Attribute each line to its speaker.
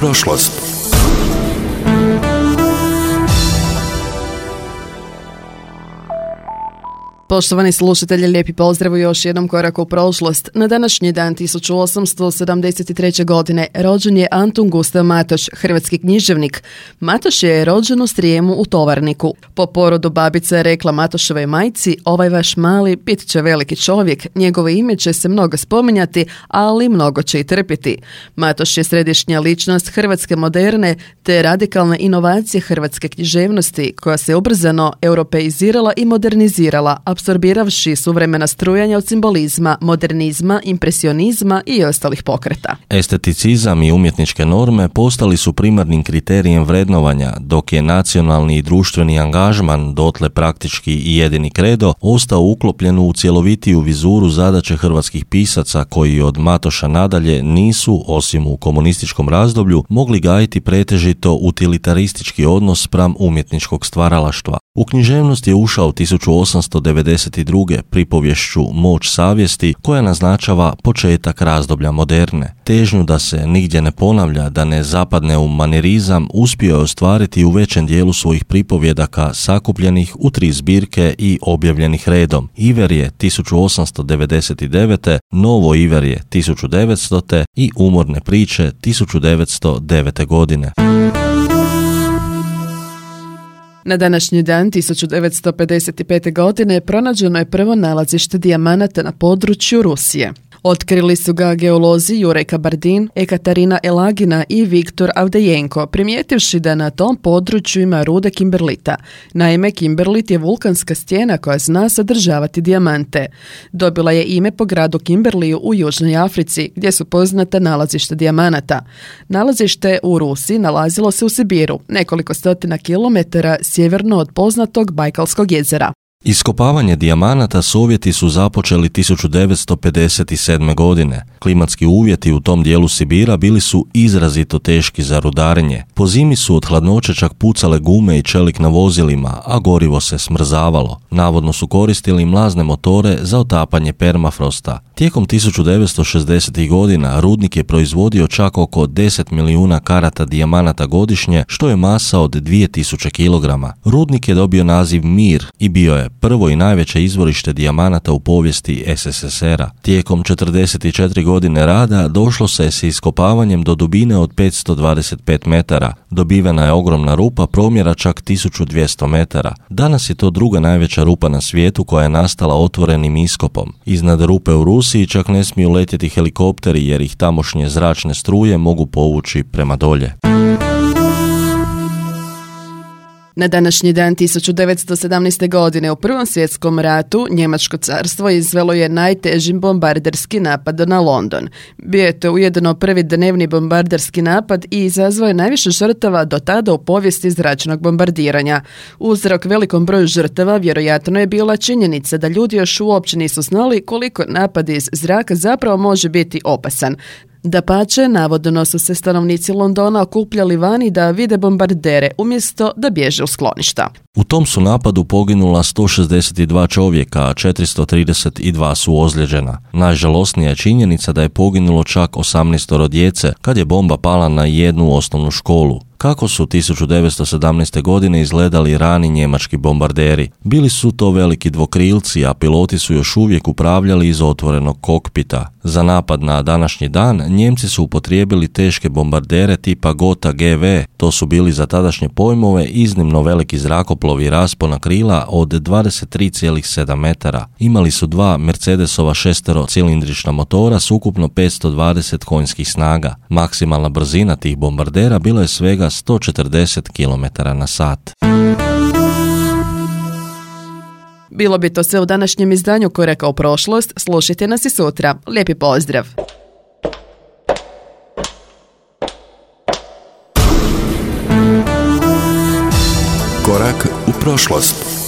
Speaker 1: prošlost.
Speaker 2: Poštovani slušatelji, lijepi pozdrav u još jednom koraku u prošlost. Na današnji dan 1873. godine rođen je Antun Gustav Matoš, hrvatski književnik. Matoš je rođen u Srijemu u Tovarniku. Po porodu babica je rekla Matoševoj majci: "Ovaj vaš mali bit će veliki čovjek, njegovo ime će se mnogo spominjati, ali mnogo će i trpiti." Matoš je središnja ličnost hrvatske moderne te radikalne inovacije hrvatske književnosti, koja se ubrzano europeizirala i modernizirala, apsorbiravši suvremena strujanja od simbolizma, modernizma, impresionizma i ostalih pokreta.
Speaker 3: Esteticizam i umjetničke norme postali su primarnim kriterijem vrednovanja, dok je nacionalni i društveni angažman, dotle praktički i jedini kredo, ostao uklopljen u cjelovitiju vizuru zadaće hrvatskih pisaca koji od Matoša nadalje nisu, osim u komunističkom razdoblju, mogli gajiti pretežito utilitaristički odnos spram umjetničkog stvaralaštva. U književnost je ušao 1892. pripovješću Moć savjesti, koja naznačava početak razdoblja moderne. Težnju da se nigdje ne ponavlja, da ne zapadne u manirizam, uspio je ostvariti u većem dijelu svojih pripovjedaka sakupljenih u 3 zbirke i objavljenih redom. Iverje 1899. Novo Iverje 1900. i Umorne priče 1909. godine.
Speaker 2: Na današnji dan 1955. godine pronađeno je prvo nalazište dijamanata na području Rusije. Otkrili su ga geolozi Juraj Kabardin, Ekaterina Elagina i Viktor Avdejenko, primijetivši da na tom području ima rude kimberlita. Naime, kimberlit je vulkanska stijena koja zna sadržavati dijamante. Dobila je ime po gradu Kimberliju u Južnoj Africi, gdje su poznata nalazišta dijamanata. Nalazište u Rusiji nalazilo se u Sibiru, nekoliko stotina kilometara sjeverno od poznatog Bajkalskog jezera.
Speaker 3: Iskopavanje dijamanata Sovjeti su započeli 1957. godine. Klimatski uvjeti u tom dijelu Sibira bili su izrazito teški za rudarenje. Po zimi su od hladnoće čak pucale gume i čelik na vozilima, a gorivo se smrzavalo. Navodno su koristili mlazne motore za otapanje permafrosta. Tijekom 1960. godina rudnik je proizvodio čak oko 10 milijuna karata dijamanata godišnje, što je masa od 2000 kg. Rudnik je dobio naziv Mir i bio je prvo i najveće izvorište dijamanata u povijesti SSSR-a. Tijekom 44 godine rada došlo se s iskopavanjem do dubine od 525 metara. Dobivena je ogromna rupa promjera čak 1200 metara. Danas je to druga najveća rupa na svijetu koja je nastala otvorenim iskopom. Iznad rupe u Rusiji čak ne smiju letjeti helikopteri jer ih tamošnje zračne struje mogu povući prema dolje.
Speaker 2: Na današnji dan 1917. godine u Prvom svjetskom ratu Njemačko carstvo izvelo je najteži bombarderski napad na London. Bio je to ujedno prvi dnevni bombarderski napad i izazvao je najviše žrtava do tada u povijesti zračnog bombardiranja. Uzrok velikom broju žrtava vjerojatno je bila činjenica da ljudi još uopće nisu znali koliko napad iz zraka zapravo može biti opasan. Dapače, navodno su se stanovnici Londona okupljali vani da vide bombardere umjesto da bježe u skloništa.
Speaker 3: U tom su napadu poginula 162 čovjeka, a 432 su ozlijeđena. Najžalosnija je činjenica da je poginulo čak 18 djece kad je bomba pala na jednu osnovnu školu. Kako su 1917. godine izgledali rani njemački bombarderi? Bili su to veliki dvokrilci, a piloti su još uvijek upravljali iz otvorenog kokpita. Za napad na današnji dan Njemci su upotrijebili teške bombardere tipa Gotha GV. To su bili za tadašnje pojmove iznimno veliki zrakoplovi raspona krila od 23,7 metara. Imali su 2 Mercedesova šesterocilindrična motora s ukupno 520 konjskih snaga. Maksimalna brzina tih bombardera bila je svega 140 km na sat.
Speaker 2: Bilo bi to sve u današnjem izdanju Koraka u prošlost. Slušajte nas i sutra. Lijepi pozdrav!
Speaker 1: Korak u prošlost.